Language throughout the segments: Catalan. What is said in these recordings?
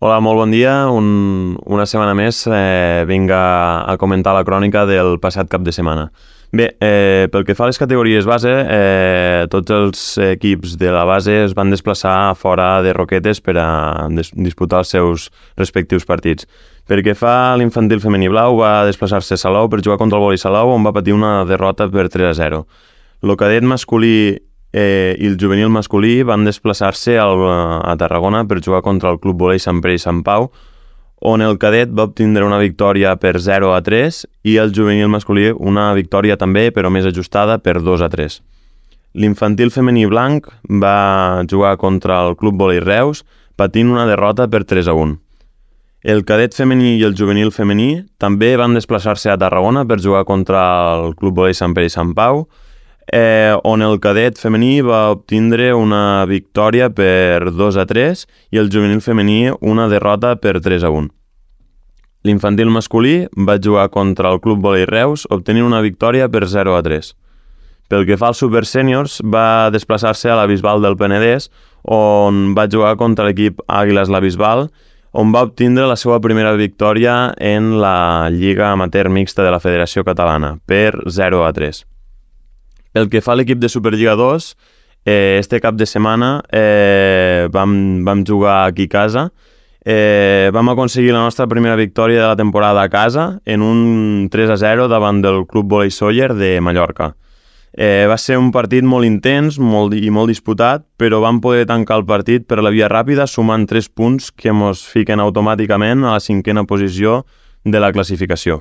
Hola, molt bon dia. Una setmana més vinc a comentar la crònica del passat cap de setmana. Bé, pel que fa a les categories base, tots els equips de la base es van desplaçar fora de Roquetes per a disputar els seus respectius partits. Pel que fa a l'infantil femení blau, va desplaçar-se a Salou per jugar contra el Vòlei Salou, on va patir una derrota per 3-0. El cadet masculí i el juvenil masculí van desplaçar-se a Tarragona per jugar contra el Club Vòlei Sant Pere i Sant Pau, on el cadet va obtindre una victòria per 0-3 i el juvenil masculí una victòria també, però més ajustada, per 2-3. L'infantil femení blanc va jugar contra el Club Vòlei Reus, patint una derrota per 3-1. El cadet femení i el juvenil femení també van desplaçar-se a Tarragona per jugar contra el Club Vòlei Sant Pere i Sant Pau, on el cadet femení va obtindre una victòria per 2-3 i el juvenil femení una derrota per 3-1. L'infantil masculí va jugar contra el Club Vòlei Reus, obtenint una victòria per 0-3. Pel que fa als Super Sèniors, va desplaçar-se a la Bisbal del Penedès, on va jugar contra l'equip Àguiles la Bisbal, on va obtindre la seva primera victòria en la Lliga Amateur Mixta de la Federació Catalana, per 0-3. Pel que fa a l'equip de Superliga 2, este cap de setmana vam jugar aquí a casa. Vam aconseguir la nostra primera victòria de la temporada a casa en un 3-0 davant del Club Vòlei Sóller de Mallorca. Va ser un partit molt intens i molt disputat, però vam poder tancar el partit per la via ràpida sumant 3 punts que ens fiquen automàticament a la 5a posició de la classificació.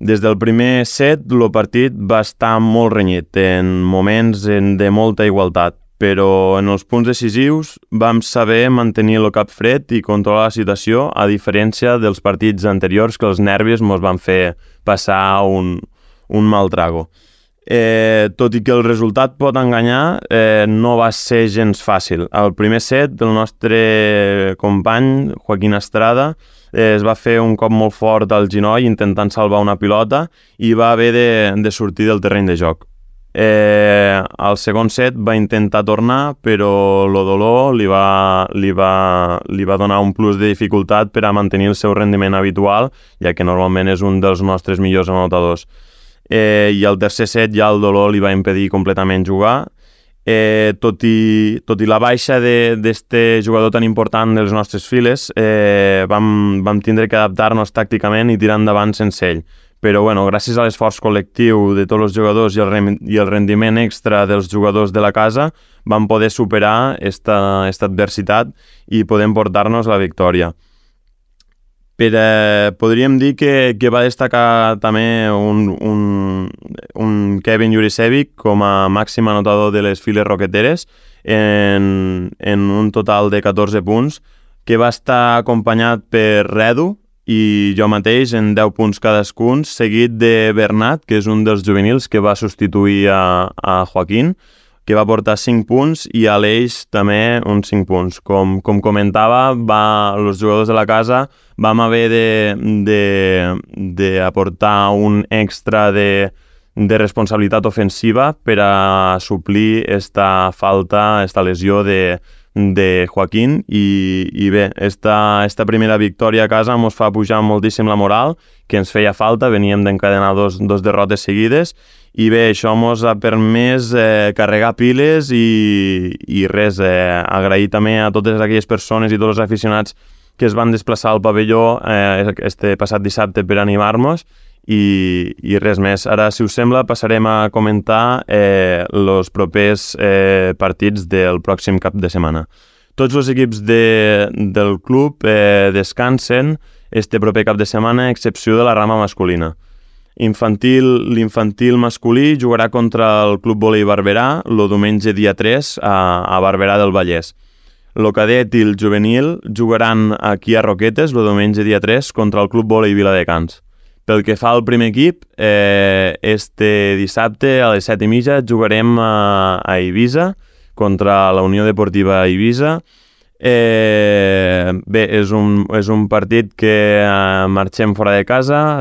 Des del primer set, el partit va estar molt renyit, en moments de molta igualtat, però en els punts decisius vam saber mantenir el cap fred i controlar la situació, a diferència dels partits anteriors que els nervis ens van fer passar un mal trago. Tot i que el resultat pot enganyar, no va ser gens fàcil. Al primer set, el nostre company, Joaquín Estrada, es va fer un cop molt fort al genoll intentant salvar una pilota i va haver de sortir del terreny de joc. Al segon set va intentar tornar, però el dolor li va donar un plus de dificultat per a mantenir el seu rendiment habitual, ja que normalment és un dels nostres millors anotadors. I al tercer set ja el dolor li va impedir completament jugar. Tot i la baixa d'este jugador tan important dels nostres files, vam tindre que adaptar-nos tàcticament i tirar endavant sense ell. Però gràcies a l'esforç col·lectiu de tots els jugadors i el rendiment extra dels jugadors de la casa, vam poder superar esta adversitat i podem portar-nos la victòria. Podríem dir que va destacar també un Kevin Jurisevic com a màxim anotador de les files roqueteres en un total de 14 punts, que va estar acompanyat per Redu i jo mateix en 10 punts cadascun, seguit de Bernat, que és un dels juvenils que va substituir a Joaquín, que va portar 5 punts, i Aleix també uns 5 punts. Com comentava, els jugadors de la casa vam haver d'aportar un extra de responsabilitat ofensiva per a suplir esta falta, esta lesió de Joaquín, i bé, esta primera victòria a casa ens fa pujar moltíssim la moral, que ens feia falta, veníem d'encadenar dos derrotes seguides, i bé, això ens ha permès carregar piles i res, agrair també a totes aquelles persones i tots els aficionats que es van desplaçar al pavelló este passat dissabte per animar-nos, i res més. Ara, si us sembla, passarem a comentar els propers partits del pròxim cap de setmana. Tots els equips del club descansen este proper cap de setmana, a excepció de la rama masculina. L'infantil masculí jugarà contra el Club Vòlei Barberà el diumenge dia 3 a Barberà del Vallès. El cadet i el juvenil jugaran aquí a Roquetes el diumenge dia 3 contra el Club Vòlei Viladecans. Pel que fa al primer equip, este dissabte a les 7:30 jugarem a Eivissa contra la Unió Deportiva Eivissa. Bé, és un partit que marxem fora de casa,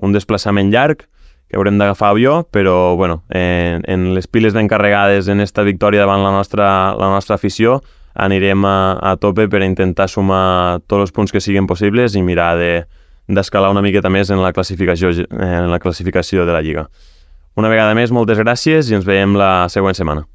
un desplaçament llarg, que haurem d'agafar avió, però en les piles d'encarregades en esta victòria davant la nostra afició, anirem a tope per intentar sumar tots els punts que siguin possibles i mirar d'escalar una miqueta més en la classificació de la Lliga. Una vegada més, moltes gràcies i ens veiem la següent setmana.